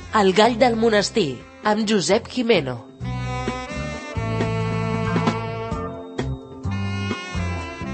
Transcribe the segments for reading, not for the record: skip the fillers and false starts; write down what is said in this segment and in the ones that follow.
El gall del monestir, amb Josep Gimeno.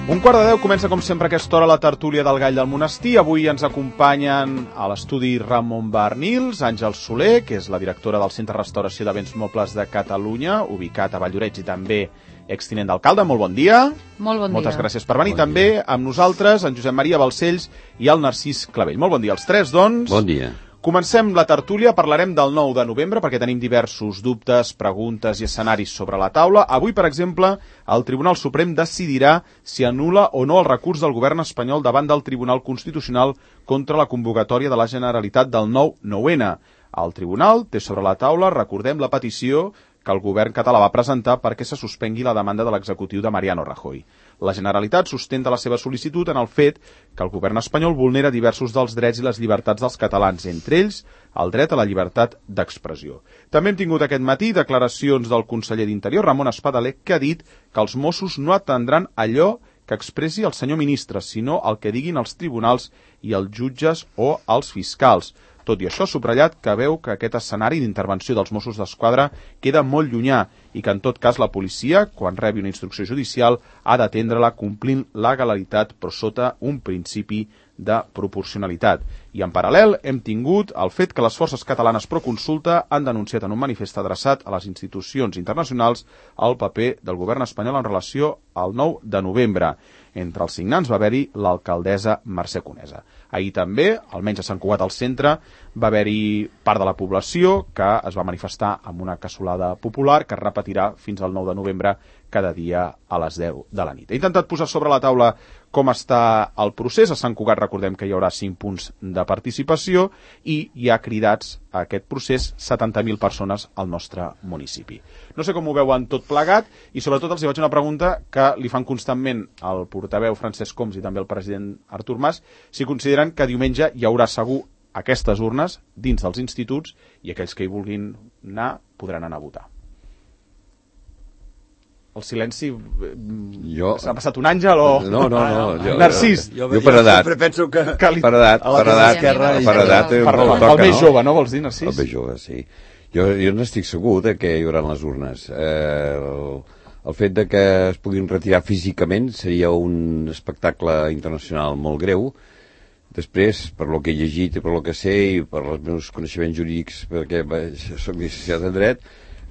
Un quart de 10 comença com sempre a aquesta hora la tertúlia del gall del monestir. Avui ens acompanyen a l'estudi Ramon Barnils, Àngel Soler, que és la directora del Centre de Restauració de Béns Mobles de Catalunya, ubicat a Valldoreix i també extinent d'alcalde. Molt bon dia. Molt bon dia. Moltes gràcies per venir. També amb nosaltres en Josep Maria Balcells i el Narcís Clavell. Molt bon dia als tres, doncs. Bon dia. Comencem la tertúlia, parlarem del 9 de novembre perquè tenim diversos dubtes, preguntes i escenaris sobre la taula. Avui, per exemple, el Tribunal Suprem decidirà si anul·la o no el recurs del govern espanyol davant del Tribunal Constitucional contra la convocatòria de la Generalitat del 9-9N. El Tribunal té sobre la taula, recordem, la petició que el govern català va presentar perquè se suspengui la demanda de l'executiu de Mariano Rajoy. La Generalitat sustenta la seva sol·licitud en el fet que el govern espanyol vulnera diversos dels drets i les llibertats dels catalans, entre ells el dret a la llibertat d'expressió. També hem tingut aquest matí declaracions del conseller d'Interior, Ramon Espadaler, que ha dit que els Mossos no atendran allò que expressi el senyor ministre, sinó el que diguin els tribunals i els jutges o els fiscals. Tot i això, ha subratllat que veu que aquest escenari d'intervenció dels Mossos d'Esquadra queda molt llunyà i que, en tot cas, la policia, quan rebi una instrucció judicial, ha d'atendre-la complint la legalitat, però sota un principi de proporcionalitat. I, en paral·lel, hem tingut el fet que les forces catalanes pro consulta han denunciat en un manifest adreçat a les institucions internacionals el paper del govern espanyol en relació al 9 de novembre. Entre els signants va haver-hi l'alcaldessa Mercè Conesa. Ahir també, almenys a Sant Cugat al centre, va haver-hi part de la població que es va manifestar amb una cassolada popular que es repetirà fins al 9 de novembre cada dia a les 10 de la nit. He intentat posar sobre la taula com està el procés. A Sant Cugat recordem que hi haurà 5 punts de participació i hi ha cridats a aquest procés 70.000 persones al nostre municipi. No sé com ho veuen tot plegat i sobretot els hi faig una pregunta que li fan constantment al portaveu Francesc Homs i també al president Artur Mas, si consideren que diumenge hi haurà segur aquestes urnes dins dels instituts i aquells que hi vulguin anar podran anar a votar. El silenci... S'ha passat un àngel o... No. Narcís. Jo per edat. Sempre penso que... Per edat. El més jove, no vols dir, Narcís? El més jove, sí. Jo n'estic segur que hi haurà les urnes. El fet de que es puguin retirar físicament seria un espectacle internacional molt greu. Després, per lo que he llegit i per lo que sé i per els meus coneixements jurídics, perquè soc llicenciat en dret,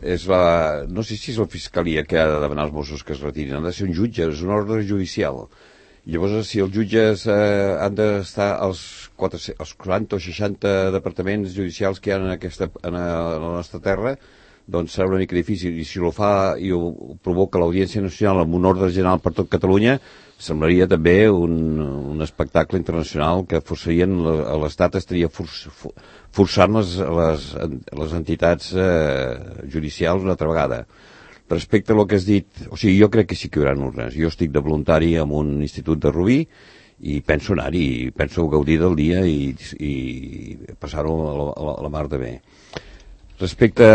no sé si és la Fiscalia que ha de demanar als Mossos que es retirin, han de ser un jutge, és un ordre judicial. Llavors, si els jutges han d'estar als 40 o 60 departaments judicials que hi ha en la nostra terra, doncs serà una mica difícil. I si ho fa i ho provoca l'Audiència Nacional amb un ordre general per tot Catalunya, semblaria també un espectacle internacional que forçarien l'Estat, estaria forçant les entitats judicials una altra vegada. Respecte a lo que has dit, o sigui, jo crec que sí que hi haurà urnes. Jo estic de voluntari en un institut de Rubí i penso anar-hi, penso gaudir del dia i passar-ho a la mar de bé. Respecte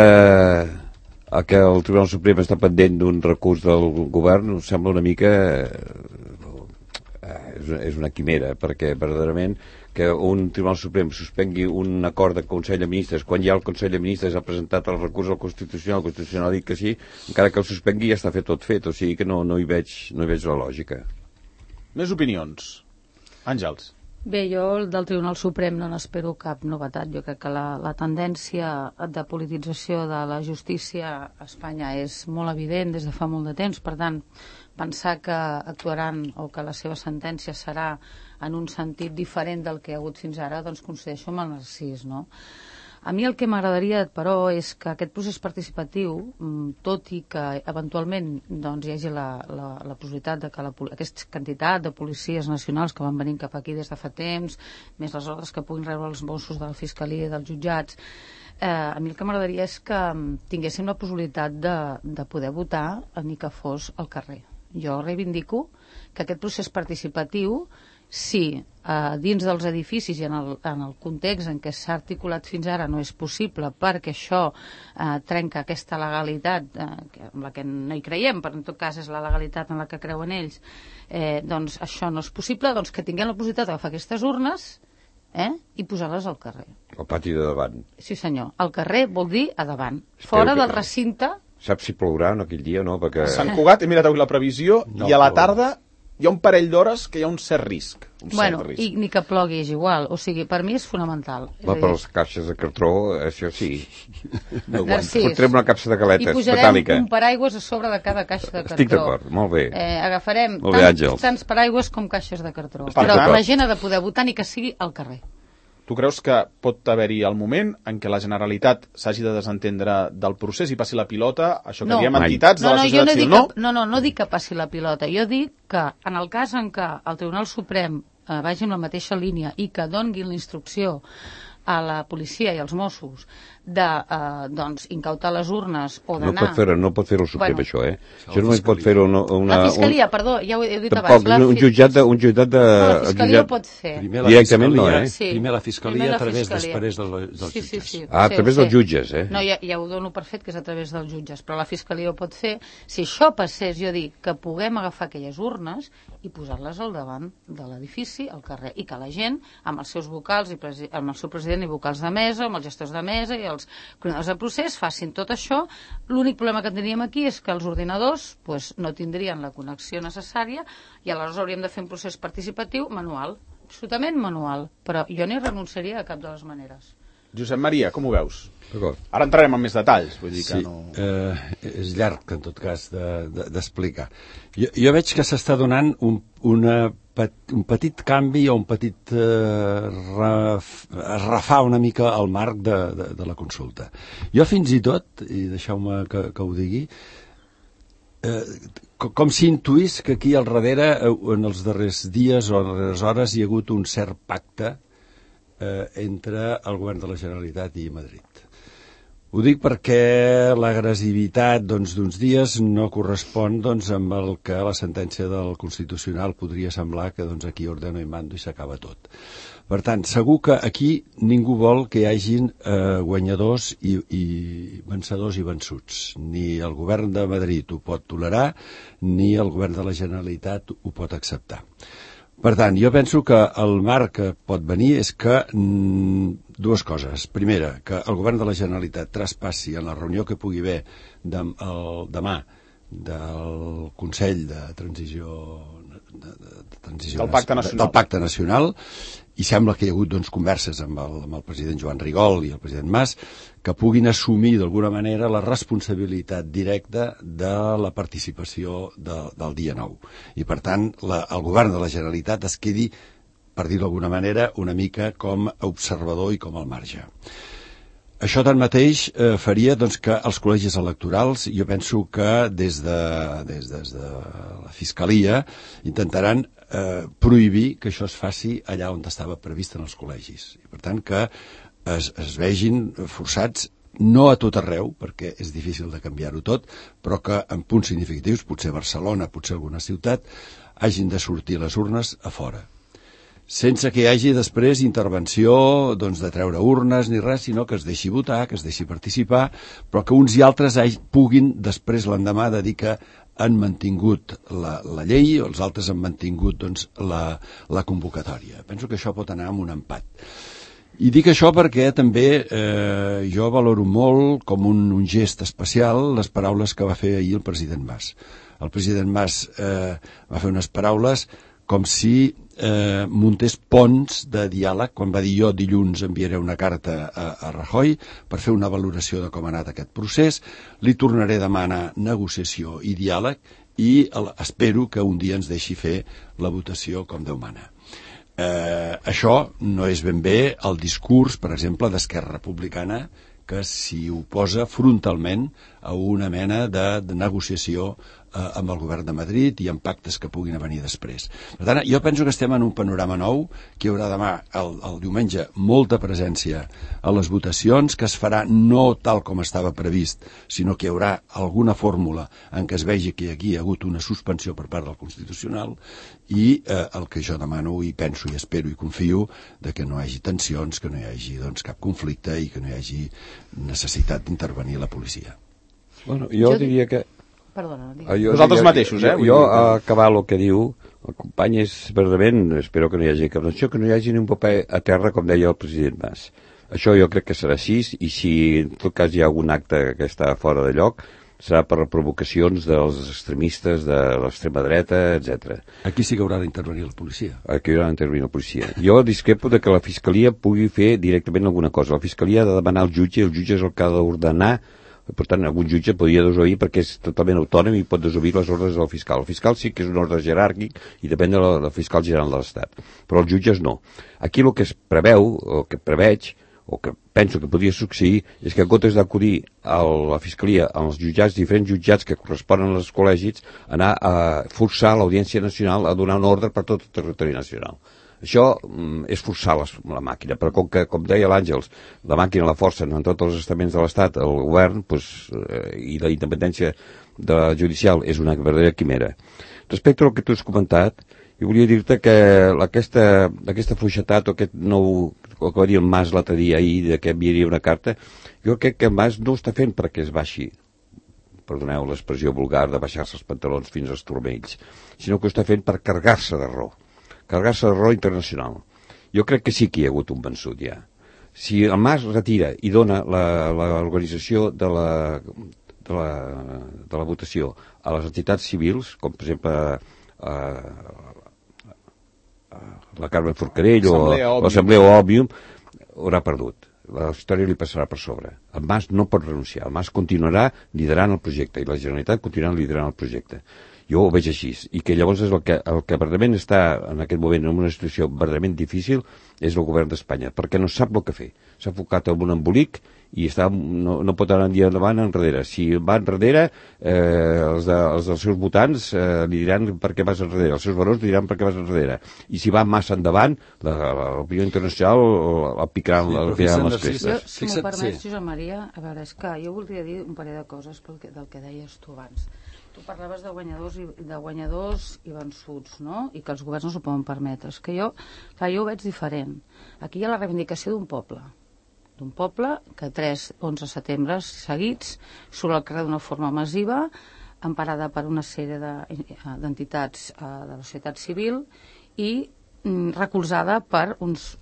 a que el Tribunal Suprem està pendent d'un recurs del govern, em sembla una mica... és una quimera, perquè verdaderament que un Tribunal Suprem suspengui un acord de Consell de Ministres quan ja el Consell de Ministres ha presentat el recurs al Constitucional, el Constitucional ha dit que sí, encara que el suspengui ja està tot fet, o sigui que no hi veig la lògica. Més opinions. Àngels. Bé, jo del Tribunal Suprem no n'espero cap novetat. Jo crec que la tendència de politització de la justícia a Espanya és molt evident des de fa molt de temps. Per tant, pensar que actuaran o que la seva sentència serà en un sentit diferent del que hi ha hagut fins ara, doncs coincideixo amb el Narcís, no? A mi el que m'agradaria, però, és que aquest procés participatiu, tot i que eventualment doncs, hi hagi la possibilitat de que aquesta quantitat de policies nacionals que van venir cap aquí des de fa temps, més les ordres que puguin rebre els Mossos de la Fiscalia i dels jutjats, a mi el que m'agradaria és que tinguéssim la possibilitat de poder votar ni que fos al carrer. Jo reivindico que aquest procés participatiu, si dins dels edificis i en el context en què s'ha articulat fins ara no és possible perquè això trenca aquesta legalitat amb la que no hi creiem, però en tot cas és la legalitat en la que creuen ells, doncs això no és possible, doncs que tinguem la possibilitat d'agafar aquestes urnes i posar-les al carrer. El pati de davant. Sí, senyor. El carrer vol dir a davant. Fora del recinte... Saps si plourà en aquell dia o no? Perquè... Sant Cugat, he mirat avui la previsió, i a la tarda hi ha un parell d'hores que hi ha un cert risc. Bueno, i ni que plogui és igual. O sigui, per mi és fonamental. Va, per les caixes de cartró, això sí. Narcís. Fotrem una capsa de galetes metàl·lica. I posarem metàl·lica. un paraigües a sobre de cada caixa de cartró. Estic d'acord, molt bé. Agafarem molt bé, tants paraigües com caixes de cartró. Estic Però d'acord. la gent ha de poder votar ni que sigui al carrer. Tu creus que pot haver-hi el moment en què la Generalitat s'hagi de desentendre del procés i passi la pilota, això que diem entitats de la societat civil, no? No dic que passi la pilota. Jo dic que en el cas en què el Tribunal Suprem vagi en la mateixa línia i que doni la instrucció a la policia i als Mossos de incautar les urnes o d'anar... No pot fer-ho Suprem, això, Això no pot fer-ho la Fiscalia, perdó, ja ho he dit abans. Tampoc, un jutjat de... La Fiscalia ho pot fer. Directament no, Primer la Fiscalia, a través després dels jutges. Sí, a través dels jutges, No, ja ho dono per fet que és a través dels jutges, però la Fiscalia ho pot fer. Si això passés, jo dic que puguem agafar aquelles urnes i posar-les al davant de l'edifici, al carrer, i que la gent, amb els seus vocals, amb el seu president i vocals de mesa, amb els gestors de mesa i els coordinadors de procés, facin tot això. L'únic problema que tindríem aquí és que els ordinadors no tindrien la connexió necessària i aleshores hauríem de fer un procés participatiu manual, absolutament manual, però jo no hi renunciaria de cap de les maneres. Josep Maria, com ho veus? Ara entrarem en més detalls, vull dir que no... És llarg, en tot cas, d'explicar. Jo veig que s'està donant un petit canvi o un petit refar una mica el marc de la consulta. Jo fins i tot, i deixeu-me que ho digui, com si intuís que aquí al darrere, en els darrers dies o en les darreres hores, hi ha hagut un cert pacte entre el govern de la Generalitat i Madrid. Ho dic perquè l'agressivitat d'uns dies no correspon amb el que la sentència del Constitucional podria semblar que aquí ordeno i mando i s'acaba tot. Per tant, segur que aquí ningú vol que hi hagin guanyadors i vencedors i vençuts. Ni el govern de Madrid ho pot tolerar, ni el govern de la Generalitat ho pot acceptar. Per tant, jo penso que el marc que pot venir és que dues coses. Primera, que el govern de la Generalitat traspassi en la reunió que pugui haver demà del Consell de Transició del Pacte Nacional, i sembla que hi ha hagut converses amb el president Joan Rigol i el president Mas que puguin assumir d'alguna manera la responsabilitat directa de la participació del dia 9. I per tant el govern de la Generalitat es quedi, per dir-ho d'alguna manera, una mica com a observador i com al marge. Això tanmateix faria que els col·legis electorals, jo penso que des de la Fiscalia intentaran prohibir que això es faci allà on estava previst en els col·legis. I per tant que es vegin forçats, no a tot arreu, perquè és difícil de canviar-ho tot, però que en punts significatius, potser Barcelona, potser alguna ciutat, hagin de sortir les urnes a fora. Sense que hi hagi després intervenció de treure urnes ni res, sinó que es deixi votar, que es deixi participar, però que uns i altres puguin després l'endemà de dir que han mantingut la llei, o els altres han mantingut la convocatòria. Penso que això pot anar amb un empat. I dic això perquè també jo valoro molt com un gest especial les paraules que va fer ahir el president Mas. El president Mas va fer unes paraules com si muntés ponts de diàleg, quan va dir jo dilluns enviaré una carta a Rajoy per fer una valoració de com ha anat aquest procés, li tornaré a demanar negociació i diàleg i espero que un dia ens deixi fer la votació com Déu mana. Això no és ben bé el discurs, per exemple, d'Esquerra Republicana, que s'hi oposa frontalment a una mena de negociació amb el govern de Madrid i amb pactes que puguin venir després. Per tant, jo penso que estem en un panorama nou, que hi haurà demà, el diumenge, molta presència a les votacions, que es farà no tal com estava previst, sinó que hi haurà alguna fórmula en què es vegi que aquí hi ha hagut una suspensió per part del Constitucional i el que jo demano i penso i espero i confio de que no hi hagi tensions, que no hi hagi cap conflicte i que no hi hagi necessitat d'intervenir la policia. Bueno, jo diria que... Perdona, vosaltres mateixos, Jo, a acabar el que diu, el company és verdament, espero que no hi hagi cap tensió, que no hi hagi ni un paper a terra, com deia el president Mas. Això jo crec que serà així, i si en tot cas hi ha algun acte que està fora de lloc, serà per provocacions dels extremistes de l'extrema dreta, etc. Aquí sí que haurà d'intervenir la policia. Aquí haurà d'intervenir la policia. Jo discrepo de que la Fiscalia pugui fer directament alguna cosa. La Fiscalia ha de demanar al jutge, el jutge és el que ha d'ordenar. Per tant, algun jutge podria desobeir perquè és totalment autònom i pot desobeir les ordres del fiscal. El fiscal sí que és un ordre jeràrquic i depèn del fiscal general de l'Estat, però els jutges no. Aquí el que es preveu, o que preveig, o que penso que podria succeir, és que en comptes d'acudir a la Fiscalia, als jutjats, diferents jutjats que corresponen als col·legis, anar a forçar l'Audiència Nacional a donar un ordre per tot el territori nacional. Això és forçar la màquina, però com deia l'Àngels, la màquina la forcen en tots els estaments de l'Estat, el govern, i la independència judicial és una verdadera quimera. Respecte al que tu has comentat, jo volia dir-te que aquesta fluixetat o aquest nou, el que va dir el Mas l'altre dia ahir, que enviaria una carta, jo crec que el Mas no ho està fent perquè es baixi, perdoneu l'expressió vulgar de baixar-se els pantalons fins als turmells, sinó que ho està fent per carregar-se de raó internacional. Jo crec que sí que hi ha hagut un vençut ja. Si el Mas retira i dona l'organització de la votació a les entitats civils, com per exemple la Carme Forcadell o l'Assemblea Òmnium, haurà perdut. La història li passarà per sobre. El Mas no pot renunciar. El Mas continuarà liderant el projecte i la Generalitat continuarà liderant el projecte. Jo ho veig així, i que llavors és el que verdaderament està en aquest moment en una situació verdaderament difícil és el govern d'Espanya, perquè no sap el que fer. S'ha enfocat en un embolic i no pot anar ni endavant ni enrere. Si va enrere, els dels seus votants li diran per què vas enrere, els seus barons li diran per què vas enrere. I si va massa endavant, l'opinió internacional el picaran les crestes. Si m'ho permets, Josep Maria, a veure, és que jo voldria dir un parell de coses del que deies tu abans. Tu parlaves de guanyadors i vençuts, no? I que els governs no s'ho poden permetre. És que jo ho veig diferent. Aquí hi ha la reivindicació d'un poble que 3-11 setembre seguits surt al carrer d'una forma massiva, emparada per una sèrie d'entitats de la societat civil i recolzada per uns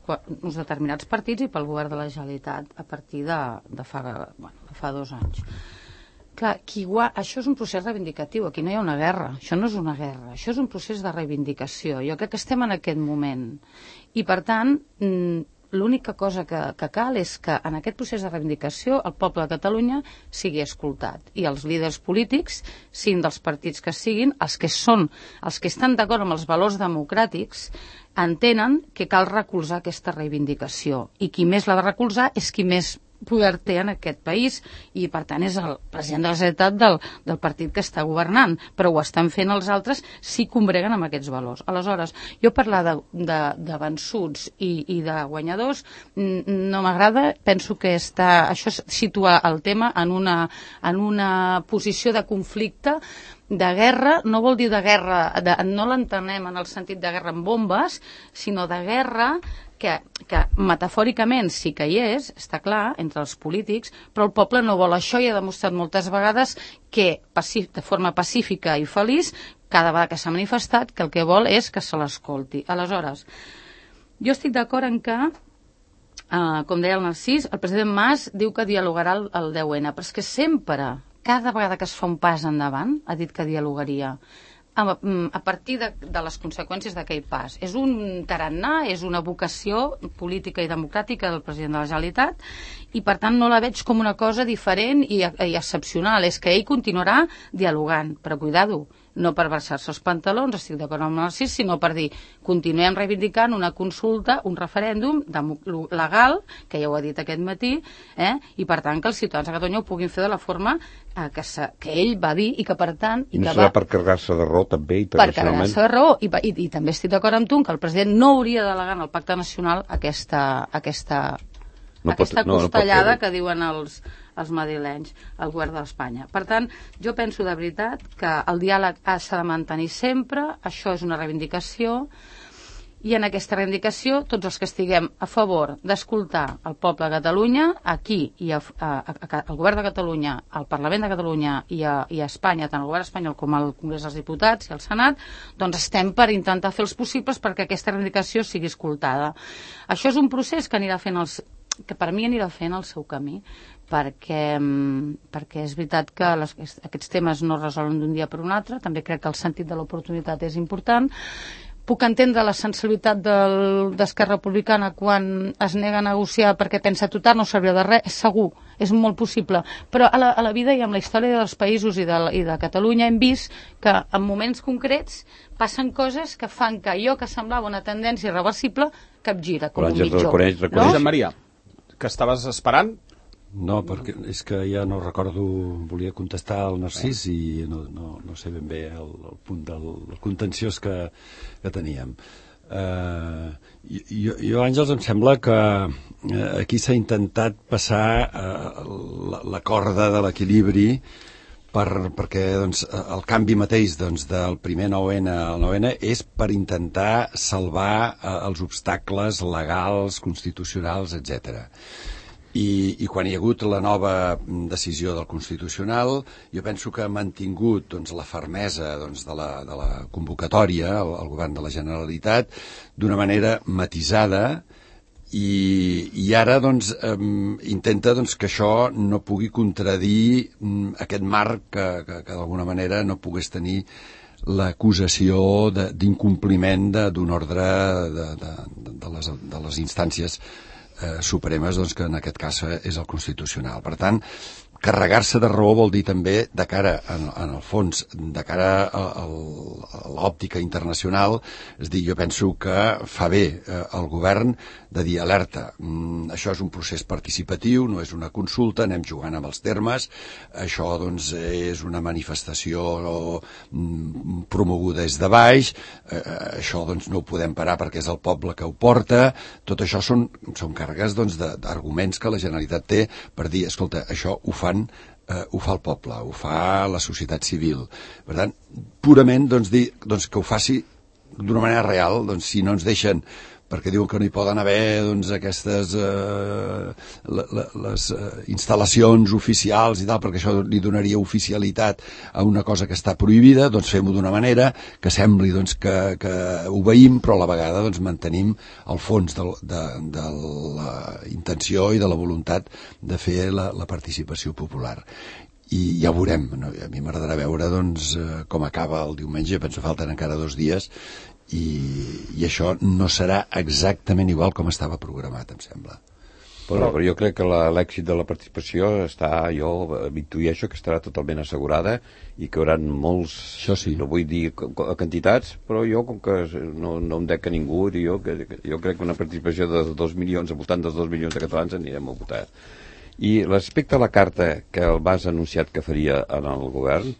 determinats partits i pel govern de la Generalitat a partir de fa 2 anys. Clar, això és un procés reivindicatiu, aquí no hi ha una guerra, això no és una guerra, això és un procés de reivindicació. Jo crec que estem en aquest moment. I, per tant, l'única cosa que cal és que en aquest procés de reivindicació el poble de Catalunya sigui escoltat i els líders polítics, siguin dels partits que siguin, els que estan d'acord amb els valors democràtics, entenen que cal recolzar aquesta reivindicació. I qui més l'ha de recolzar és qui més poder té en aquest país i per tant és el president de la Generalitat del partit que està governant, però ho estan fent els altres si combreguen amb aquests valors. Aleshores, jo parlar de vençuts i de guanyadors no m'agrada, penso que això situa el tema en una posició de conflicte, de guerra. No vol dir de guerra, no l'entenem en el sentit de guerra amb bombes, sinó de guerra que metafòricament sí que hi és, està clar, entre els polítics, però el poble no vol això i ha demostrat moltes vegades que de forma pacífica i feliç, cada vegada que s'ha manifestat, que el que vol és que se l'escolti. Aleshores, jo estic d'acord en que, com deia el Narcís, el president Mas diu que dialogarà el 10N, però és que sempre, cada vegada que es fa un pas endavant, ha dit que dialogaria a partir de les conseqüències d'aquell pas. És un tarannà, és una vocació política i democràtica del president de la Generalitat i per tant no la veig com una cosa diferent i excepcional. És que ell continuarà dialogant, però cuidado, no per baixar-se els pantalons, estic d'acord amb el Narcís, sinó per dir, continuem reivindicant una consulta, un referèndum legal, que ja ho ha dit aquest matí, i per tant que els ciutadans de Catalunya ho puguin fer de la forma que ell va dir i que per tant... I no serà per carregar-se de raó també internacionalment? Per carregar-se de raó i també estic d'acord amb tu que el president no hauria de delegar en el Pacte Nacional aquesta costellada que diuen els madrilenys, el govern d'Espanya. Per tant, jo penso de veritat que el diàleg s'ha de mantenir sempre, això és una reivindicació, i en aquesta reivindicació tots els que estiguem a favor d'escoltar el poble de Catalunya, aquí, i el govern de Catalunya, el Parlament de Catalunya i a Espanya, tant el govern espanyol com el Congrés dels Diputats i el Senat, doncs estem per intentar fer els possibles perquè aquesta reivindicació sigui escoltada. Això és un procés que anirà fent que per mi anirà fent el seu camí, perquè és veritat que aquests temes no es resolen d'un dia per un altre, també crec que el sentit de l'oportunitat és important. Puc entendre la sensibilitat d'Esquerra Republicana quan es nega a negociar perquè pensa total no servirà de res, és segur, és molt possible, però a la vida i amb la història dels països i de Catalunya hem vist que en moments concrets passen coses que fan que allò que semblava una tendència irreversible capgira com un mitjó. Josep Maria, que estaves esperant? No, perquè és que ja no recordo, volia contestar al Narcís i no sé ben bé el punt del contenciós que teníem. Jo, Àngels, em sembla que aquí s'ha intentat passar la corda de l'equilibri perquè doncs, el canvi mateix doncs, del primer 9N al 9N és per intentar salvar els obstacles legals, constitucionals, etc. I quan hi ha hagut la nova decisió del Constitucional, jo penso que ha mantingut doncs, la fermesa doncs, de la convocatòria al govern de la Generalitat d'una manera matisada i ara doncs, intenta doncs, que això no pugui contradir aquest marc que d'alguna manera no pogués tenir l'acusació d'incompliment d'un ordre de les instàncies supremes, doncs, que en aquest cas és el Constitucional. Per tant, carregar-se de raó vol dir també, de cara, en el fons, de cara a l'òptica internacional, és dir, jo penso que fa bé el govern de dir alerta, això és un procés participatiu, no és una consulta, anem jugant amb els termes, això doncs és una manifestació promoguda des de baix, això doncs no ho podem parar perquè és el poble que ho porta, tot això són càrregues doncs, d'arguments que la Generalitat té per dir, escolta, això ho fa el poble, ho fa la societat civil. Per tant, purament doncs, dir doncs, que ho faci d'una manera real, doncs, si no ens deixen, perquè diuen que no hi poden haver doncs, aquestes les instal·lacions oficials i tal, perquè això li donaria oficialitat a una cosa que està prohibida, doncs fem-ho d'una manera que sembli doncs, que obeïm, però a la vegada doncs, mantenim el fons de la intenció i de la voluntat de fer la participació popular. I ja ho veurem, no? A mi m'agradarà veure doncs, com acaba el diumenge, penso que falten encara 2 dies, i això no serà exactament igual com estava programat, em sembla. Però jo crec que l'èxit de la participació jo intueixo que estarà totalment assegurada i que hi haurà molts, sí. No vull dir quantitats, però jo, com que no em dec a ningú, jo crec que una participació de 2 milions, al voltant dels 2 milions de catalans anirem a votar. I respecte a la carta que el Mas ha anunciat que faria en el govern,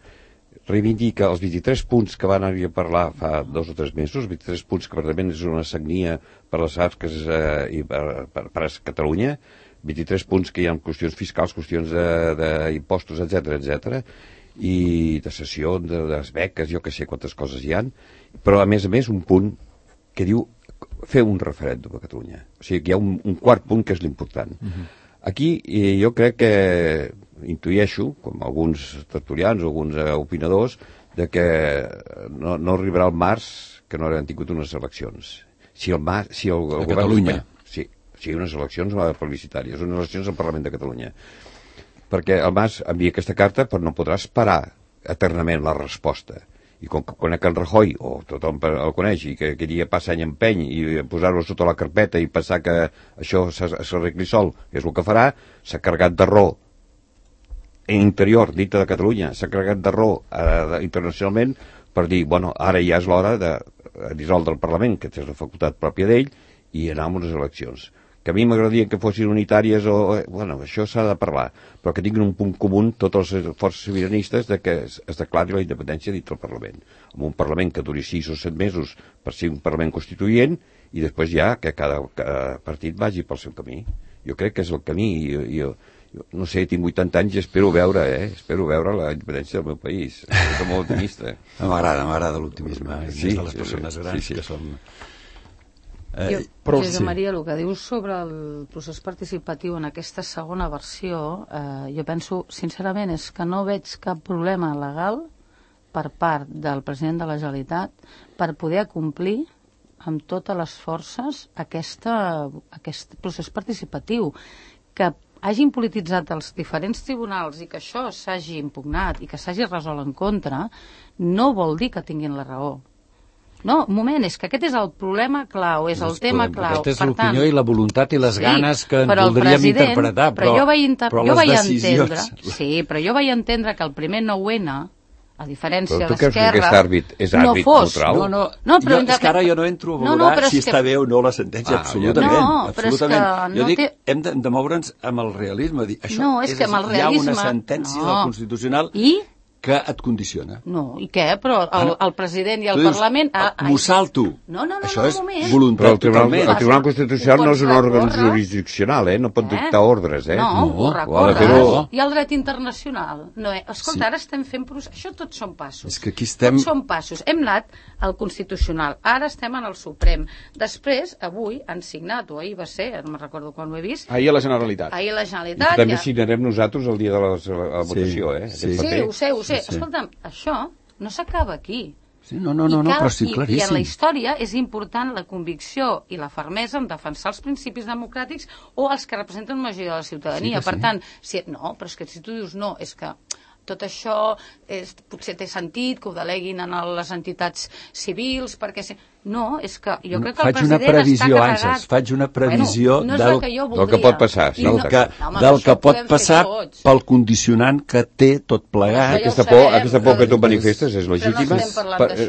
reivindica els 23 punts que van arribar a parlar fa 2 o 3 mesos, 23 punts que realment és una sagnia per les arques i per a Catalunya, 23 punts que hi ha qüestions fiscals, qüestions d'impostos, etc, i de cessió, de les beques, jo que sé quantes coses hi han, però a més un punt que diu fer un referèndum a Catalunya. O sigui que hi ha un quart punt que és l'important. Aquí jo crec que intueixo, com alguns tertulians o alguns opinadors, de que no arribarà al març que no hauran tingut unes eleccions. Si el govern Catalunya. Sí, unes eleccions plebiscitàries, unes eleccions al Parlament de Catalunya. Perquè el Mas envia aquesta carta però no podrà esperar eternament la resposta. I com que conec en Rajoy, o tothom el coneix, i que queria passar any empeny i posar-ho sota la carpeta i pensar que això s'arregli sol, és el que farà, s'ha carregat de raó interior, dintre de Catalunya, s'ha carregat de raó internacionalment per dir, bueno, ara ja és l'hora de dissoldre el Parlament, que és la facultat pròpia d'ell, i anar amb unes eleccions. Que a mi m'agradaria que fossin unitàries bueno, això s'ha de parlar, però que tinguin un punt comú totes les forces sobiranistes de que es declari la independència dintre del Parlament. Amb un Parlament que duri 6 o 7 mesos per ser un Parlament constituent i després ja que cada partit vagi pel seu camí. Jo crec que és el camí. Jo no sé, tinc 80 anys i espero veure la independència del meu país. Soc molt optimista. M'agrada l'optimisme. Sí, de les persones grans que som... Josep Maria, el que dius sobre el procés participatiu en aquesta segona versió, jo penso, sincerament, és que no veig cap problema legal per part del president de la Generalitat per poder acomplir amb totes les forces aquest procés participatiu, que hagin polititzat els diferents tribunals i que això s'hagi impugnat i que s'hagi resolt en contra, no vol dir que tinguin la raó. No, un moment, és que aquest és el problema clau, és el tema clau. Aquesta és l'opinió i la voluntat i les ganes que en voldríem interpretar, però les decisions... Sí, però jo vaig entendre que el primer 9-N, a diferència d'Esquerra... Però tu creus que aquest àrbit és àrbit neutral? No, és que ara jo no entro a valorar si està bé o no la sentència, absolutament. Jo dic, hem de moure'ns amb el realisme. Això hi ha una sentència del Constitucional que et condiciona. No, i què? Però el president i el Parlament... M'ho salto. No, això és voluntat. Però el Tribunal Constitucional no és un òrgan jurisdiccional, no pot dictar ordres, No, ho recorres. I el dret internacional. Escolta, ara estem fent... Això tots són passos. És que aquí estem... Tots són passos. Hem anat al Constitucional, ara estem en el Suprem. Després, avui, han signat, o ahir va ser, no me'n recordo quan ho he vist... Ahir a la Generalitat. Ahir a la Generalitat. I també signarem nosaltres el dia de la votació, Sí, ho sé. Escolta'm, això no s'acaba aquí. Sí, no, però sí, claríssim. I en la història és important la convicció i la fermesa en defensar els principis democràtics o els que representen la majoria de la ciutadania. Per tant, però és que si tu dius no, és que tot això potser té sentit que ho deleguin en les entitats civils, perquè... No, és que jo crec que el president està carregat... Faig una previsió del que pot passar. Del que pot passar pel condicionant que té tot plegat. Aquesta por que tu manifestes és legítima,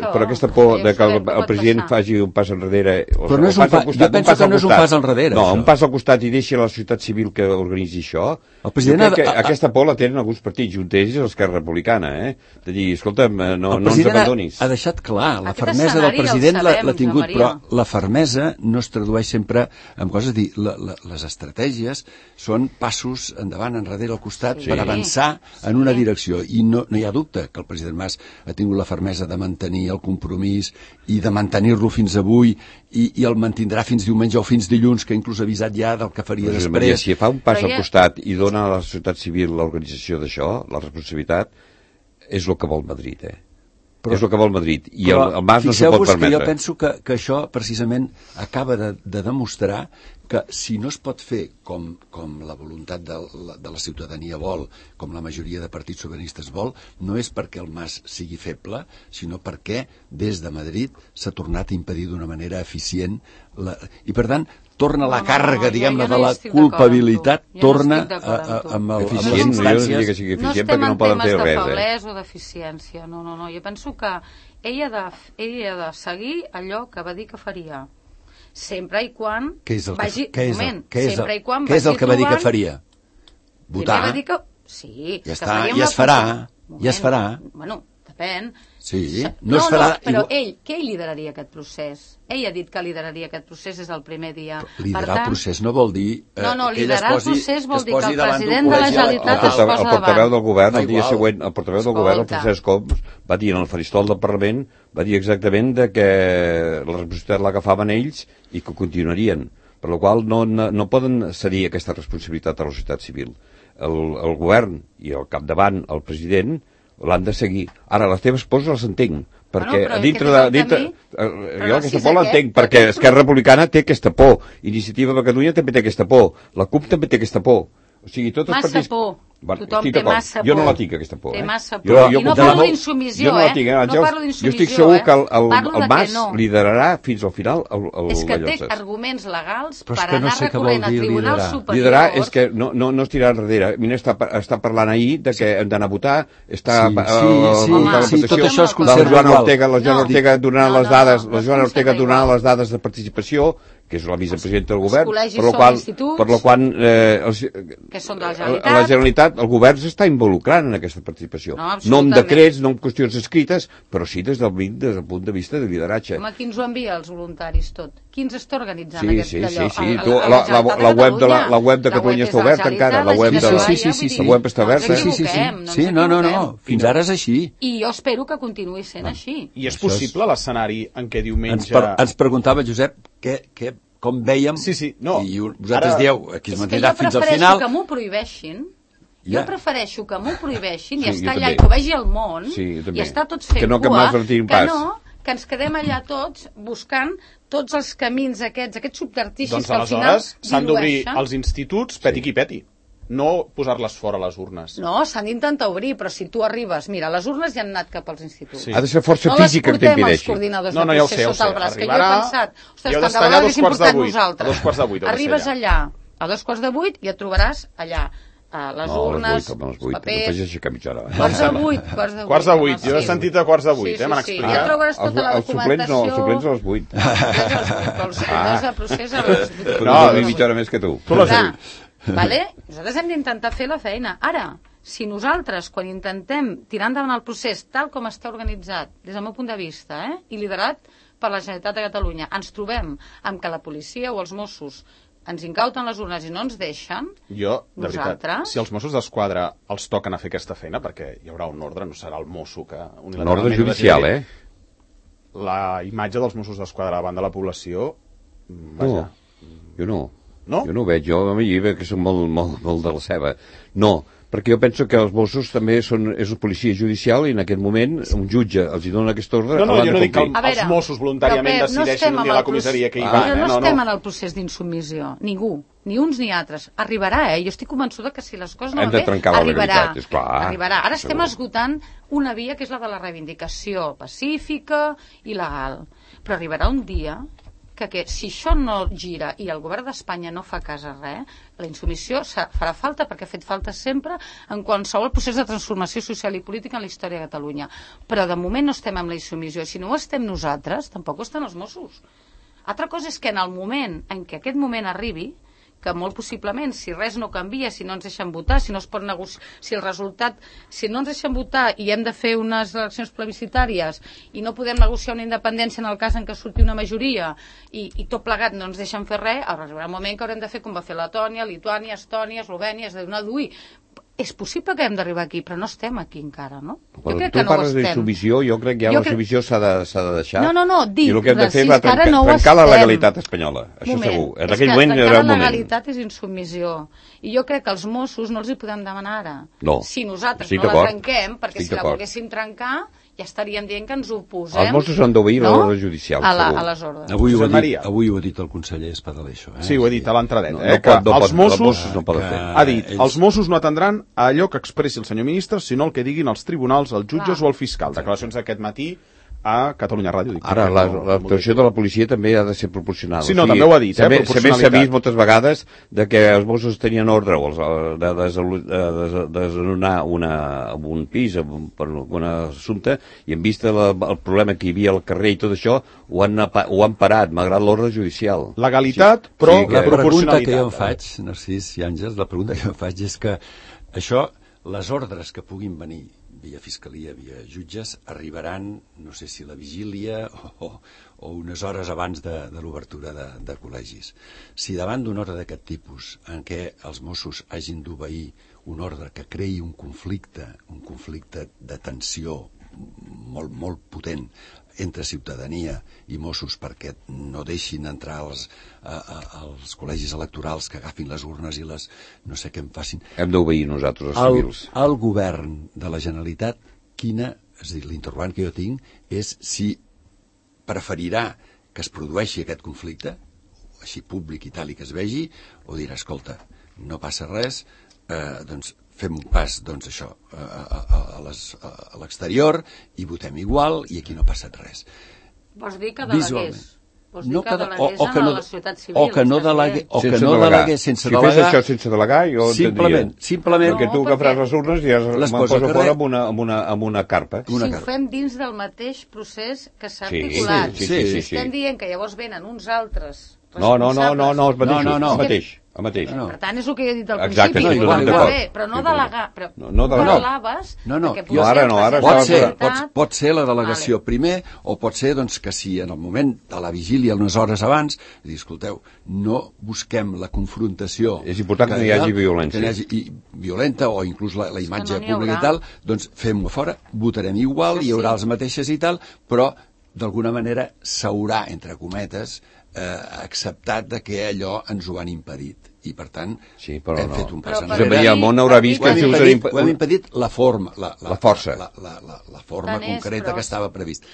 però aquesta por que el president faci un pas enrere... Però jo penso que no és un pas enrere. No, un pas al costat i deixi a la societat civil que organitzi això. Aquesta por la tenen alguns partits, un d'ells és l'Esquerra Republicana, de dir, escolta'm, no ens abandonis. Ha deixat clar, la fermesa del president l'ha tingut, però la fermesa no es tradueix sempre en coses, les estratègies són passos endavant, enrere, al costat, per avançar en una direcció, i no hi ha dubte que el president Mas ha tingut la fermesa de mantenir el compromís i de mantenir-lo fins avui, i el mantindrà fins diumenge o fins dilluns, que inclús ha avisat ja del que faria després. Si fa un pas al costat i dona a la societat civil l'organització d'això, la responsabilitat, és el que vol Madrid, és el que vol Madrid, i el Mas no s'ho pot permetre. Jo penso que això precisament acaba de demostrar que si no es pot fer com la voluntat de la ciutadania vol, com la majoria de partits sobiranistes vol, no és perquè el Mas sigui feble, sinó perquè des de Madrid s'ha tornat a impedir d'una manera eficient i per tant torna la càrrega, diguem-ne, de la culpabilitat, torna amb les instàncies. Jo no diria que sigui eficient perquè no poden fer res. No estem en temes de feblesa o d'eficiència, no. Jo penso que ell ha de seguir allò que va dir que faria, sempre i quan vagi... Què és el que va dir que faria? Votar. Sí. Ja està, ja es farà. Bueno, depèn. Sí, no es farà... Però què lideraria aquest procés? Ell ha dit que lideraria aquest procés des del primer dia. Liderar el procés no vol dir... liderar el procés vol dir que el president de la Generalitat es posa davant. El portaveu del govern, el dia següent, el Francesc Homs, va dir en el faristol del Parlament, va dir exactament que la responsabilitat l'agafaven ells i que continuarien. Per la qual no poden cedir aquesta responsabilitat a la societat civil. El govern i al capdavant el president l'han de seguir. Ara, les teves pors les entenc, perquè jo aquesta por l'entenc, perquè Esquerra Republicana té aquesta por, Iniciativa per Catalunya també té aquesta por, la CUP també té aquesta por. O sigui, tots els partits... Massa por. Tothom té massa por. Jo no la tinc, aquesta por. Té massa por. I no parlo d'insumissió, no parlo d'insumissió, jo estic segur que el Mas liderarà fins al final és que té arguments legals per anar recorrent a tribunals superiors. Liderar és que no es tirarà enrere. Mira, està parlant ahir de que hem d'anar a votar, està tot això és conservador. La Joana Ortega donarà les dades de participació, que és la vicepresidenta del govern, per la qual la Generalitat, el govern s'està involucrant en aquesta participació. No amb decrets, no amb qüestions escrites, però sí des del punt de vista de lideratge. Home, qui ens ho envia, els voluntaris, tot? Qui ens està organitzant la web de Catalunya està oberta encara, la web està oberta. Sí, no, fins ara és així. I jo espero que continuï sent així. I és possible l'escenari en què diumenge... Ens preguntava, Josep, com vèiem, i vosaltres dieu que es mantindrà fins al final... És que jo prefereixo que m'ho prohibeixin, jo prefereixo que m'ho prohibeixin i estar allà i que ho vegi el món, i estar tots fent cua, que ens quedem allà tots buscant tots els camins aquests subterfugis Doncs que al final aleshores s'han d'obrir dilueixen. els instituts peti qui peti, no posar-les fora a les urnes. No, s'han d'intentar obrir, però si tu arribes... Mira, les urnes ja han anat cap als instituts. Sí. Ha de ser força física que t'impedeixi. No les portem els coordinadors No, de ja ho procés sé, sota el braç, que jo he Arribarà, pensat... Ostres, i heu tant de d'estar allà vegades a 2 quarts de portat 8. nosaltres. A 2 quarts de 8 heu de ser Arribes allà, a 2 quarts de 8, i et trobaràs allà les urnes, a les 8, papers... no facis aixecar mitja hora. Quarts de 8, quarts de 8. Quarts de 8, jo he sentit a quarts de 8, m'han Sí, explicat. ja trobaràs tota la documentació... Els suplents a les 8. Els suplents de procés a les 8. No, dormir mitja hora més que tu. Tu les 8. Vale? Nosaltres hem d'intentar fer la feina. Ara, si nosaltres, quan intentem tirar endavant el procés tal com està organitzat, des del meu punt de vista, i liderat per la Generalitat de Catalunya, ens trobem amb que la policia o els Mossos ens incauten les urnes i no ens deixen, Jo, de veritat, nosaltres... si els Mossos d'Esquadra els toquen a fer aquesta feina, perquè hi haurà un ordre, no serà el mosso que... Un ordre judicial, La imatge dels Mossos d'Esquadra davant de la població... Vaja. No, jo no. No? Jo no ho veig, jo a mi veig que són molt de la ceba. No, perquè jo penso que els Mossos també és una policia judicial i en aquest moment un jutge els hi dona aquest ordre. No, jo no dic que veure, els Mossos voluntàriament decideixin un dia a la comissaria que hi van. No estem en el procés d'insubmissió, ningú, ni uns ni altres. Arribarà, jo estic convençuda que si les coses no van bé, arribarà. Arribarà. Ara estem esgotant una via que és la de la reivindicació pacífica i legal. Però arribarà un dia que si això no gira i el govern d'Espanya no fa cas a res, la insubmissió farà falta, perquè ha fet falta sempre en qualsevol procés de transformació social i política en la història de Catalunya. Però de moment no estem amb la insubmissió. Si no ho estem nosaltres, tampoc ho estan els Mossos. Altra cosa és que en el moment en què aquest moment arribi, que molt possiblement, si res no canvia, si no ens deixen votar, si no es pot negociar, si el resultat, si no ens deixen votar i hem de fer unes eleccions plebiscitàries i no podem negociar una independència en el cas en què surti una majoria i tot plegat no ens deixen fer res, arribarà un moment que haurem de fer com va fer Letònia, Lituània, Estònia, Eslovènia, és de donar d'uir. És possible que hem d'arribar aquí, però no estem aquí encara, no? Quan tu parles d'insubmissió, jo crec que ja la submissió s'ha de deixar. No, dic, i el que hem de fer va trencar la legalitat espanyola, això segur. En aquell moment hi haurà un moment. La legalitat és insubmissió. I jo crec que els Mossos no els hi podem demanar ara. No, si nosaltres no la trenquem, perquè si la volguéssim trencar, ja estaríem dient que ens oposem... Els Mossos han d'obeir l'ordre judicial, segur. A les ordres. Avui ho ha dit el conseller Espadaler, això. Sí, ho he dit a l'entradeta. Els Mossos no poden fer. Ha dit, els Mossos no atendran a allò que expressi el senyor ministre, sinó el que diguin els tribunals, els jutges o el fiscal. Declaracions d'aquest matí a Catalunya Ràdio. Ara, l'actuació de la policia també ha de ser proporcional. Sí, no, també ho ha dit, També s'ha vist moltes vegades que els Mossos tenien ordre de desnonar un pis per un assumpte i en vista del problema que hi havia al carrer i tot això, ho han parat, malgrat l'ordre judicial. Legalitat, però la pregunta que jo em faig, Narcís i Àngels, la pregunta que jo em faig és que això, les ordres que puguin venir via fiscalia, via jutges, arribaran, no sé si la vigília o unes hores abans de l'obertura de col·legis. Si davant d'un ordre d'aquest tipus, en què els Mossos hagin d'obeir un ordre que creï un conflicte de tensió molt, molt potent entre ciutadania i Mossos perquè no deixin entrar als col·legis electorals, que agafin les urnes i les... no sé què en facin. Hem d'obeir nosaltres, els civils. El govern de la Generalitat, és a dir, l'interrogant que jo tinc és si preferirà que es produeixi aquest conflicte, així públic i tal, i que es vegi, o dirà, escolta, no passa res, doncs fem un pas, doncs això, a l'exterior i votem igual i aquí no ha passat res. Vols dir que delegués? Vols dir que delegués a la societat civil? O que no delegués sense delegar. Si fes això sense delegar, jo entendria. Simplement. Perquè tu agafaràs les urnes i me'n poso fora amb una carpa. Si ho fem dins del mateix procés que s'ha articulat. Sí. Estem dient que llavors venen uns altres No, el mateix. Per tant, és el que he dit al Exacte, principi. Però no delegar. No delegaves... No. Ara pot ser la delegació primer, o pot ser que si en el moment de la vigília, unes hores abans, dir, escolteu, no busquem la confrontació... És important que no hi hagi violència. Violenta, o inclús la imatge pública i tal, doncs fem-ho fora, votarem igual, hi haurà les mateixes i tal, però d'alguna manera s'haurà, entre cometes, acceptat de que allò ens ho han impedit i per tant hem fet un pas enrere. El món haurà vist que ho hem impedit la forma la força la forma concreta que estava previst.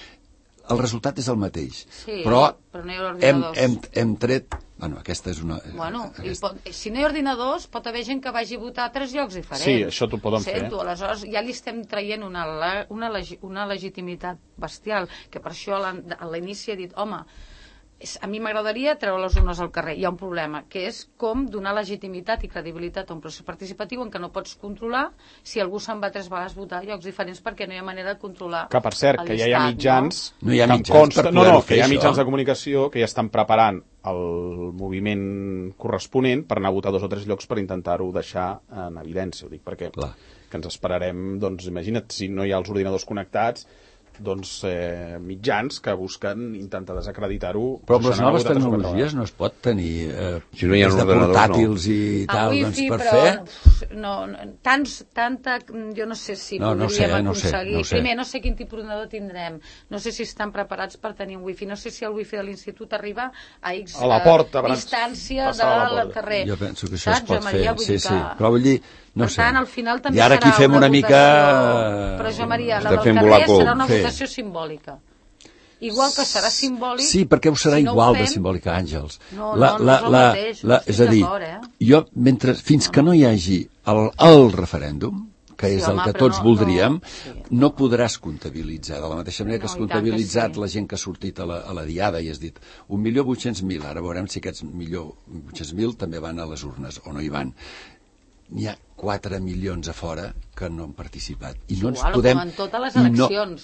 el resultat és el mateix. Sí, però no hi ha ordinadors. hem tret... Bueno, aquesta és una... Bueno, si no hi ha ordinadors, pot haver gent que vagi a votar a 3 llocs diferents. Sí, això t'ho poden fer. Aleshores ja li estem traient una legitimitat bestial, que per això a l'inici he dit, home, a mi m'agradaria treure les urnes al carrer. Hi ha un problema, que és com donar legitimitat i credibilitat a un procés participatiu en què no pots controlar si algú se'n va 3 vegades a votar a llocs diferents perquè no hi ha manera de controlar. Que, per cert, que ja hi ha mitjans... No hi ha mitjans per poder-ho fer, que hi ha mitjans de comunicació que ja estan preparant el moviment corresponent per anar a votar 2 o 3 llocs per intentar-ho deixar en evidència. Ho dic perquè que ens esperarem, doncs imagina't, si no hi ha els ordinadors connectats, doncs mitjans que busquen intentar desacreditar-ho. Però amb les noves tecnologies no es pot tenir si no hi ha de portàtils i tal, doncs per fer... Jo no sé si podríem aconseguir. Primer, no sé quin tipus d'ordinador tindrem, no sé si estan preparats per tenir un wifi, no sé si el wifi de l'institut arriba a X distància del carrer. Jo penso que això es pot fer, sí, però vull dir, no sé. Per tant, al final també i ara aquí fem una mica... Però jo, Maria, la del carrer serà una votació simbòlica. Igual que serà simbòlic... Sí, perquè ho serà igual de simbòlica, Àngels. No és el mateix, és a dir, jo, fins que no hi hagi el referèndum, que és el que tots voldríem, no podràs comptabilitzar. De la mateixa manera que has comptabilitzat la gent que ha sortit a la diada i has dit 1.800.000, ara veurem si aquests 1.800.000 també van a les urnes o no hi van. N'hi ha 4 milions a fora que no han participat. I no ens podem... Com en totes les eleccions.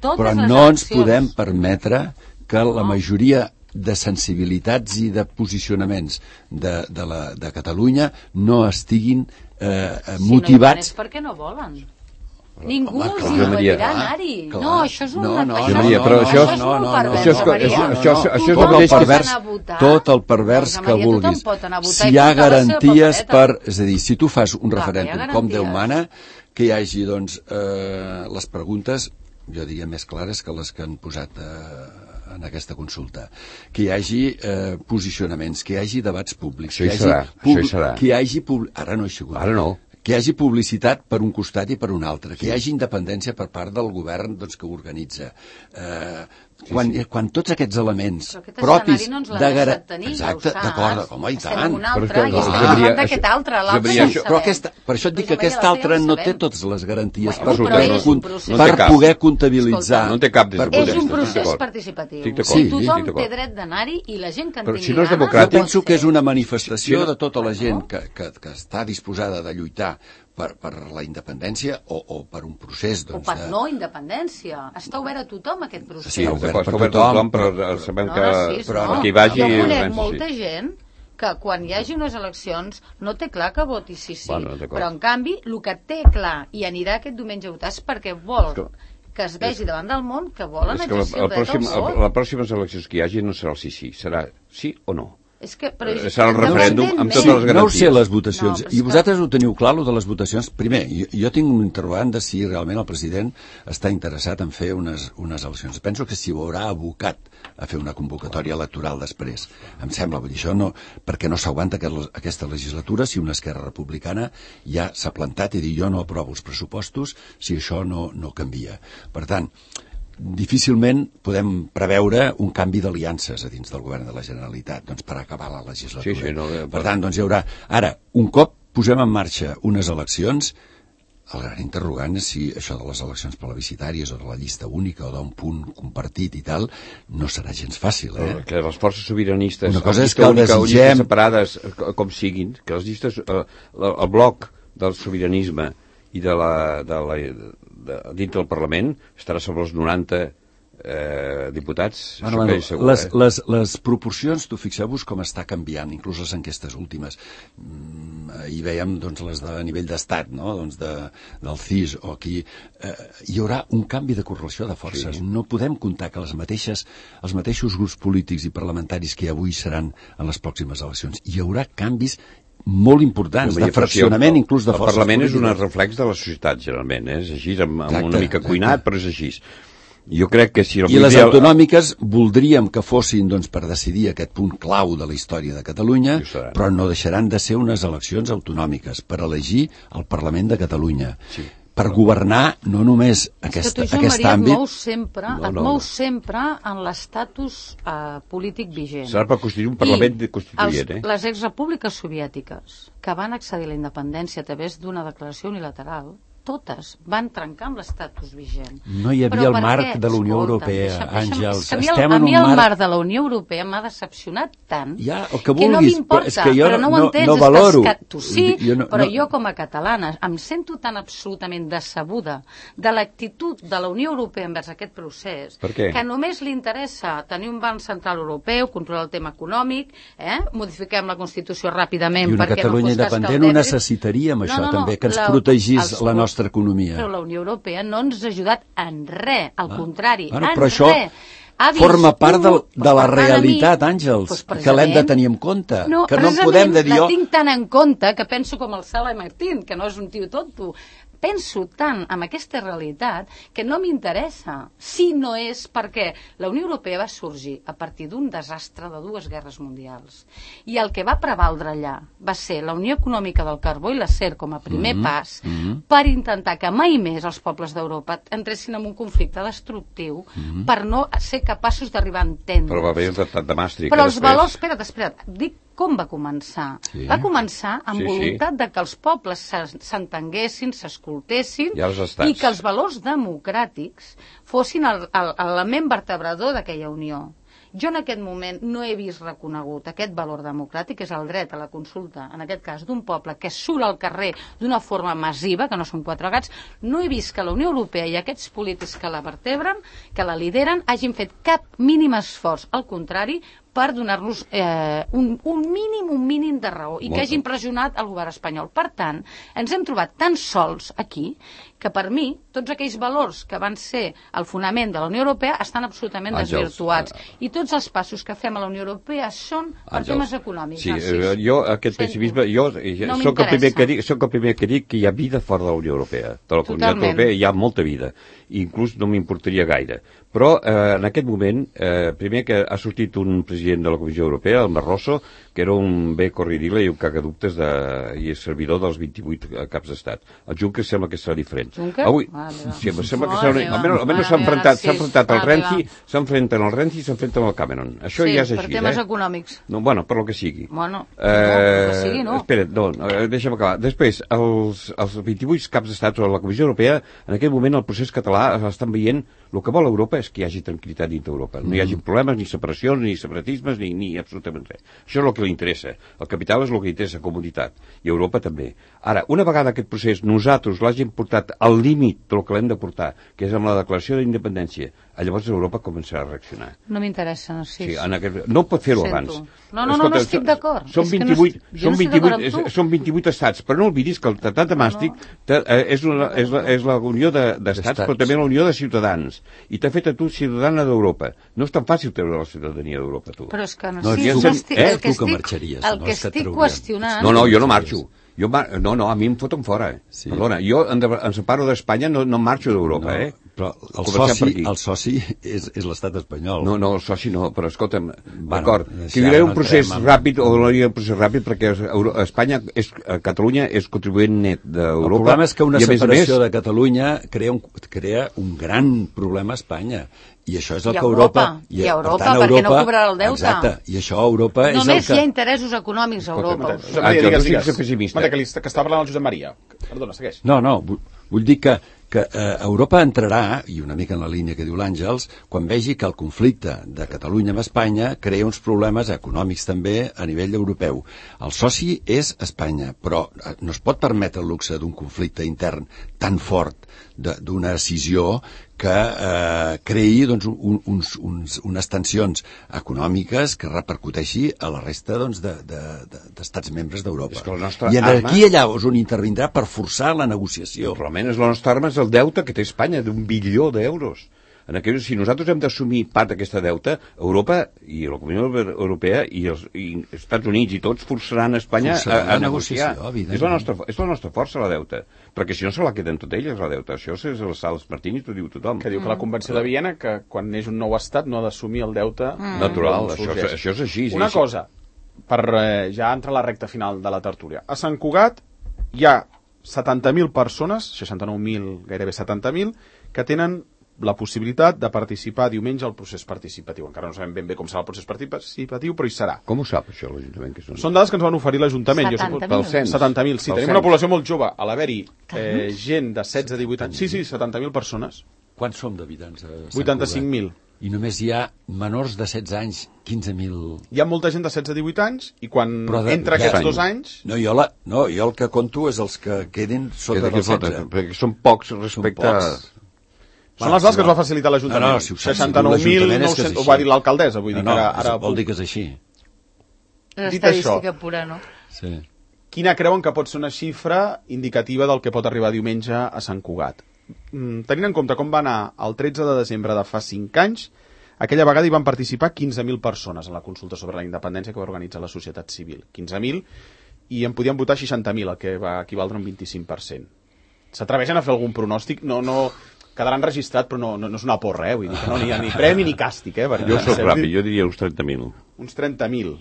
Però no ens podem permetre que la majoria de sensibilitats i de posicionaments de Catalunya no estiguin motivats... Si no hi van és perquè no volen. Ningú els impedirà anar-hi. No, això és una... Però això és el mateix tot el pervers que vulguis. Si hi ha garanties per... És a dir, si tu fas un referèndum com Déu mana, que hi hagi, doncs, les preguntes, jo diria, més clares que les que han posat en aquesta consulta. Que hi hagi posicionaments, que hi hagi debats públics. Això hi serà. Que hi hagi... Ara no hi ha sigut. Ara no. Que hi hagi publicitat per un costat i per un altre, que hi hagi independència per part del govern doncs, que ho organitza. Quan tots aquests elements propis de garantir... Exacte, d'acord, home, i tant. Per això et dic que aquest altre no té totes les garanties per poder comptabilitzar. No té cap des del punt de vista. És un procés participatiu. Tothom té dret d'anar-hi i la gent que en tingui ganes... Jo penso que és una manifestació de tota la gent que està disposada de lluitar per la independència o per un procés... O per no independència. Està obert a tothom aquest procés. Sí, obert per tothom, però sabem que hi vagi... Jo conec molta gent que quan hi hagi unes eleccions no té clar que voti sí, però en canvi el que té clar i anirà aquest diumenge a votar és perquè vol que es vegi davant del món que volen exercir el dret al vot. Les pròximes eleccions que hi hagi no serà el sí, serà sí o no. Serà el referèndum amb totes les garanties. No ho sé, les votacions. I vosaltres ho teniu clar, lo de les votacions. Primer, jo tinc un interrogant de si realment el president està interessat en fer unes eleccions. Penso que s'hi haurà abocat a fer una convocatòria electoral després. Em sembla, vull dir, això no, perquè no s'aguanta aquesta legislatura si una Esquerra Republicana ja s'ha plantat i dir jo no aprovo els pressupostos si això no canvia. Per tant, difícilment podem preveure un canvi d'aliances a dins del govern de la Generalitat per acabar la legislatura. Per tant, doncs hi haurà... Ara, un cop posem en marxa unes eleccions, el gran interrogant és si això de les eleccions plebiscitàries o de la llista única o d'un punt compartit i tal, no serà gens fàcil, Que les forces sobiranistes, una cosa és que el desitgem... separades com siguin, que les llistes, el bloc del sobiranisme i dintre del Parlament estarà sobre els 90 diputats. Les proporcions, tu fixeu-vos com està canviant, inclús les enquestes últimes. Hi veiem les de nivell d'estat, no? Del CIS o aquí. Hi haurà un canvi de correlació de forces. No podem comptar que els mateixos grups polítics i parlamentaris que avui seran en les pròximes eleccions. Hi haurà canvis molt importants, de fraccionament inclús de forces polítiques. El Parlament és un reflex de la societat, generalment, és així, amb una mica cuinat, però és així. Jo crec que si... I les autonòmiques voldríem que fossin per decidir aquest punt clau de la història de Catalunya, però no deixaran de ser unes eleccions autonòmiques per elegir el Parlament de Catalunya. per governar no només aquest àmbit... Et mous sempre en l'estatus polític vigent. Serà per constituir un Parlament constituent, Les exrepúbliques soviètiques que van accedir a la independència a través d'una declaració unilateral, totes van trencar amb l'estatus vigent. No hi havia el marc de la Unió Europea, Àngels. A mi el marc de la Unió Europea m'ha decepcionat tant que no m'importa, però no ho entens. No valoro. Tu sí, però jo com a catalana em sento tan absolutament decebuda de l'actitud de la Unió Europea envers aquest procés, que només li interessa tenir un banc central europeu, controlar el tema econòmic, modifiquem la Constitució ràpidament. I una Catalunya independent ho necessitaríem, això també, que ens protegís la nostra economia. Però la Unió Europea no ens ha ajudat en res, al contrari, però això forma part de la realitat, Àngels, que l'hem de tenir en compte, que no en podem de dir... La tinc tan en compte que penso com el Sala Martín, que no és un tio tonto. Penso tant en aquesta realitat que no m'interessa, si no és perquè la Unió Europea va sorgir a partir d'un desastre de 2 guerres mundials. I el que va prevaldre allà va ser la Unió Econòmica del Carbó i l'Acer com a primer pas per intentar que mai més els pobles d'Europa entressin en un conflicte destructiu per no ser capaços d'arribar a entendre. Però va haver el Tractat de Maastricht. Però els valors... Espera't, dic com va començar. Va començar amb voluntat de que els pobles s'entenguessin, s'escoltessin i que els valors democràtics fossin l'element vertebrador d'aquella unió. Jo en aquest moment no he vist reconegut aquest valor democràtic, que és el dret a la consulta, en aquest cas d'un poble que surt al carrer d'una forma massiva, que no són 4 gats. No he vist que la Unió Europea i aquests polítics que la vertebren, que la lideren, hagin fet cap mínim esforç. Al contrari, per donar-nos un mínim de raó i que hagin pressionat el govern espanyol. Per tant, ens hem trobat tan sols aquí que per mi tots aquells valors que van ser el fonament de la Unió Europea estan absolutament desvirtuats. I tots els passos que fem a la Unió Europea són per temes econòmics. Sí, jo aquest pessimisme, jo soc el primer que dic que hi ha vida fora de la Unió Europea. De la Comunitat Europea hi ha molta vida. Inclús no m'importaria gaire. Però en aquest moment, primer que ha sortit un president de la Comissió Europea, el Barroso, que era un bé corridile i un cagadubtes i és servidor dels 28 caps d'estat. El Juncker sembla que serà diferent. Juncker? Avui, sembla que serà... Almenys s'ha enfrontat al Renzi, s'enfrenten al Renzi i s'enfrenten al Cameron. Això ja és així, per temes econòmics. Bueno, per lo que sigui. Bueno, per lo que sigui, no. Espera't, deixa'm acabar. Després, els 28 caps d'estat o la Comissió Europea, en aquest moment el procés català estan veient el que vol Europa és que hi hagi tranquil·litat dintre Europa. No hi hagi problemes, ni separacions, ni separatismes, ni absolutament res. Això és el que li interessa. El capital és el que li interessa, comunitat. I Europa també. Ara, una vegada aquest procés nosaltres l'hagin portat al límit del que l'hem de portar, que és amb la declaració d'independència, llavors Europa començarà a reaccionar. No m'interessa, no sé. No pot fer-ho abans. No estic d'acord. Són 28 estats, però no oblidis que el Tractat de Maastricht és la unió d'estats, però també la unió de ciutadans. I t'ha fet a tu ciutadana d'Europa. No és tan fàcil treure la ciutadania d'Europa, tu. Però és que el que estic qüestionant... No, jo no marxo. A mi em foten fora. Perdona, jo em separo d'Espanya, no marxo d'Europa, Però el soci és l'estat espanyol. No, el soci no, però escolta'm, d'acord, que hi haurà un procés ràpid o no hi haurà un procés ràpid perquè Catalunya és contribuent net d'Europa. El problema és que una separació de Catalunya crea un gran problema a Espanya. I això és el que Europa... I Europa, perquè no cobrarà el deute. Exacte, i això a Europa és el que... Només hi ha interessos econòmics a Europa. Digues. Que està parlant el Josep Maria. Perdona, segueix. No, vull dir que Europa entrarà, i una mica en la línia que diu l'Àngels, quan vegi que el conflicte de Catalunya amb Espanya crea uns problemes econòmics també a nivell europeu. El soci és Espanya, però no es pot permetre el luxe d'un conflicte intern tan fort d'una decisió que creï unes tensions econòmiques que repercuteixi a la resta d'estats membres d'Europa. I aquí allà és on intervindrà per forçar la negociació. Realment és la nostra arma, és el deute que té Espanya d'un bilió d'euros. Si nosaltres hem d'assumir part d'aquesta deute, Europa i la Comunitat Europea i els Estats Units i tots forçaran Espanya a negociar. És la nostra força, la deuta. Perquè si no se la queden tot elles, la deuta. Això és el Sales Martínez, ho diu tothom. Que diu que la Convenció de Viena, que quan neix un nou estat no ha d'assumir el deute natural. Això és així. Una cosa, per ja entrar a la recta final de la tertúlia. A Sant Cugat hi ha 70.000 persones, 69.000, gairebé 70.000, que tenen la possibilitat de participar diumenge al procés participatiu. Encara no sabem ben bé com serà el procés participatiu, però hi serà. Com ho sap, això, l'Ajuntament? Són dades que ens van oferir l'Ajuntament. 70.000? 70.000, sí. Tenim una població molt jove. A l'haver-hi gent de 16 a 18 anys... Sí, 70.000 persones. Quants som d'habitants a Sant 85.000. I només hi ha menors de 16 anys, 15.000... Hi ha molta gent de 16 a 18 anys i quan entra aquests 2 anys... No, jo el que conto és els que queden sota dels 16. Perquè són pocs respecte a... Són les dades que ens va facilitar l'Ajuntament. No, si ho saps, 69.900, ho va dir l'alcaldessa, vull dir que ara... Vol dir que és així. És estadística pura, no? Sí. Quina creuen que pot ser una xifra indicativa del que pot arribar diumenge a Sant Cugat? Tenint en compte com va anar el 13 de desembre de fa 5 anys, aquella vegada hi van participar 15.000 persones en la consulta sobre la independència que va organitzar la societat civil. 15.000, i en podien votar 60.000, el que va equivaldre a un 25%. S'atreveixen a fer algun pronòstic? No quedarà enregistrat, però no és una porra, vull dir que no hi ha ni premi ni càstig, Jo soc ràpid, jo diria uns 30.000. Uns 30.000.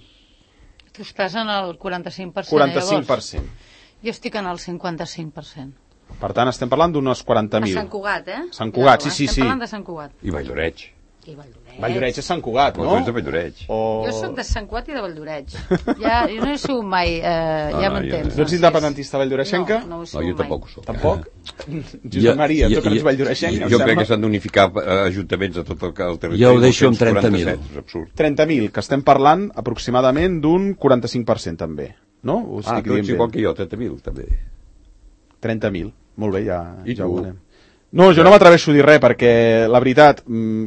Tu estàs en el 45%, 45%. Llavors. Jo estic en el 55%. Per tant, estem parlant d'unes 40.000. A Sant Cugat, Sant Cugat, sí. Estem parlant de Sant Cugat. I Valldoreix. Valldoreix és Sant Cugat, no? Tu ets de Valldoreix. Jo sóc de Sant Cugat i de Valldoreix. Jo no he sigut mai, ja m'entens. No ets independentista valldoreixenca? No, jo tampoc ho soc. Tampoc? Josep Maria, tu que ets valldoreixenca. Jo crec que s'han d'unificar ajuntaments a tot el territori. Jo ho deixo amb 30.000. És absurd. 30.000, que estem parlant aproximadament d'un 45% també, no? Tu ets igual que jo, 30.000 també. 30.000, molt bé, ja ho veurem. No, jo no m'atreveixo a dir res, perquè la veritat,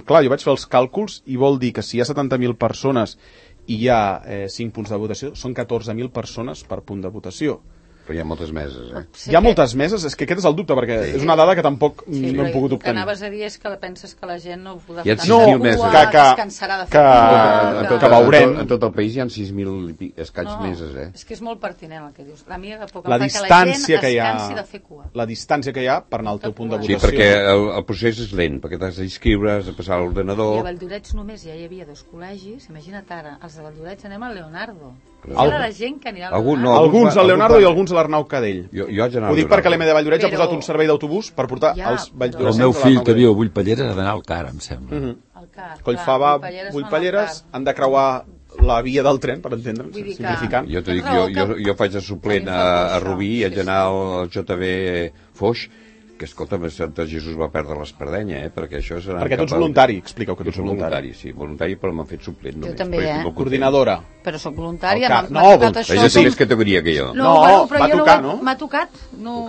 clar, jo vaig fer els càlculs i vol dir que si hi ha 70.000 persones i hi ha 5 punts de votació, són 14.000 persones per punt de votació. Però hi ha moltes meses, Hi ha moltes meses? És que aquest és el dubte, perquè és una dada que tampoc no hem pogut obtenir. El que anaves a dir és que penses que la gent no podrà que veurem. En tot el país hi ha 6.000 escaig meses, És que és molt pertinent el que dius. La mia època, la distància que hi ha, de fer cua. la distància que hi ha per anar al teu punt de votació. Sí, perquè el procés és lent, perquè t'has d'inscriure, has de passar a l'ordenador. I a Valldoreix només ja hi havia 2 col·legis, imagina't ara, els de Valldoreix anem al Leonardo. La gent que anirà al Leonardo. Alguns al Leonardo i alguns a l'Arnau Cadell. Jo ho dic perquè l'EM de Valldoreix ha posat un servei d'autobús per portar els valldoreixencs. El meu fill que viu a Bullpalleres ha d'anar al CAR, em sembla. Collfava, Bullpalleres, han de creuar la via del tren, per entendre'ns, simplificant. Jo t'ho dic, jo faig de suplent a Rubí i haig d'anar al JB Foix, que escolta, Sant Jesús va perdre l'Espardenya, perquè això és... Perquè tu ets voluntari, expliqueu que tu ets voluntari. Sí, voluntari, però m'han fet suplent només. Jo també, Coordinadora. Però sóc voluntària, m'ha tocat això. Ella té més categoria que jo. No, però jo m'ha tocat. No,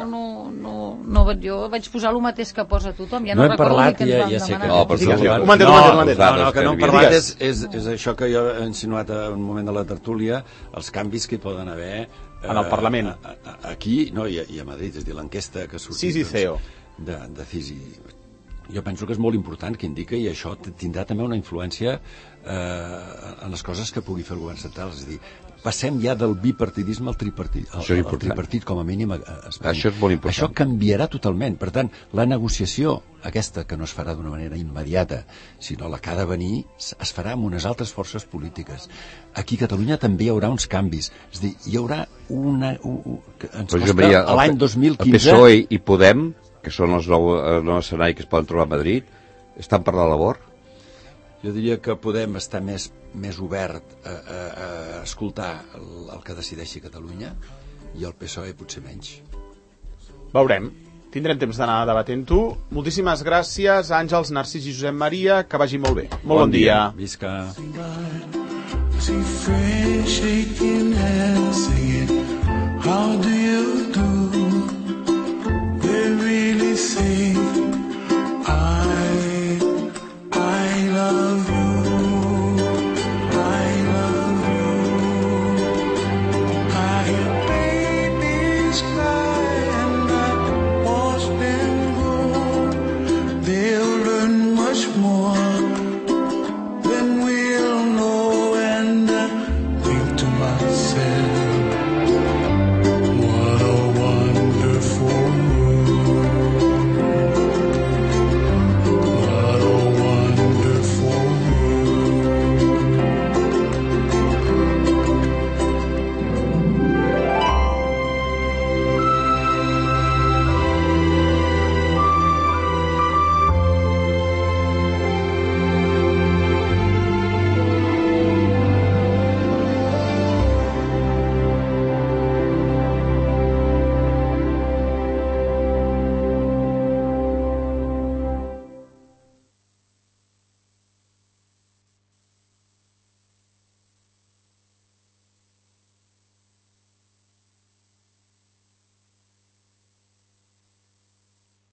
jo vaig posar el mateix que posa tothom. Ja no recordo ni què ens van demanar. No, que no hem parlat és això que jo he insinuat en un moment de la tertúlia, els canvis que hi poden haver en el Parlament. Aquí, no, i a Madrid, és a dir, l'enquesta que ha sortit de CISI. Jo penso que és molt important que indica, i això tindrà també una influència en les coses que pugui fer el govern central. És a dir, passem ja del bipartidisme al tripartit. El tripartit, com a mínim, a Espanya. Això és molt important. Això canviarà totalment. Per tant, la negociació, aquesta que no es farà d'una manera immediata, sinó la que ha de venir, es farà amb unes altres forces polítiques. Aquí a Catalunya també hi haurà uns canvis. És a dir, hi haurà una... Ens costa l'any 2015... El PSOE i Podem, que són els nous escenaris que es poden trobar a Madrid, estan per la labor? Jo diria que Podem estar més obert a escoltar el que decideixi Catalunya i el PSOE potser menys. Veurem. Tindrem temps d'anar debatent-ho. Moltíssimes gràcies, Àngels, Narcís i Josep Maria. Que vagi molt bé. Molt bon dia. Visca. How do you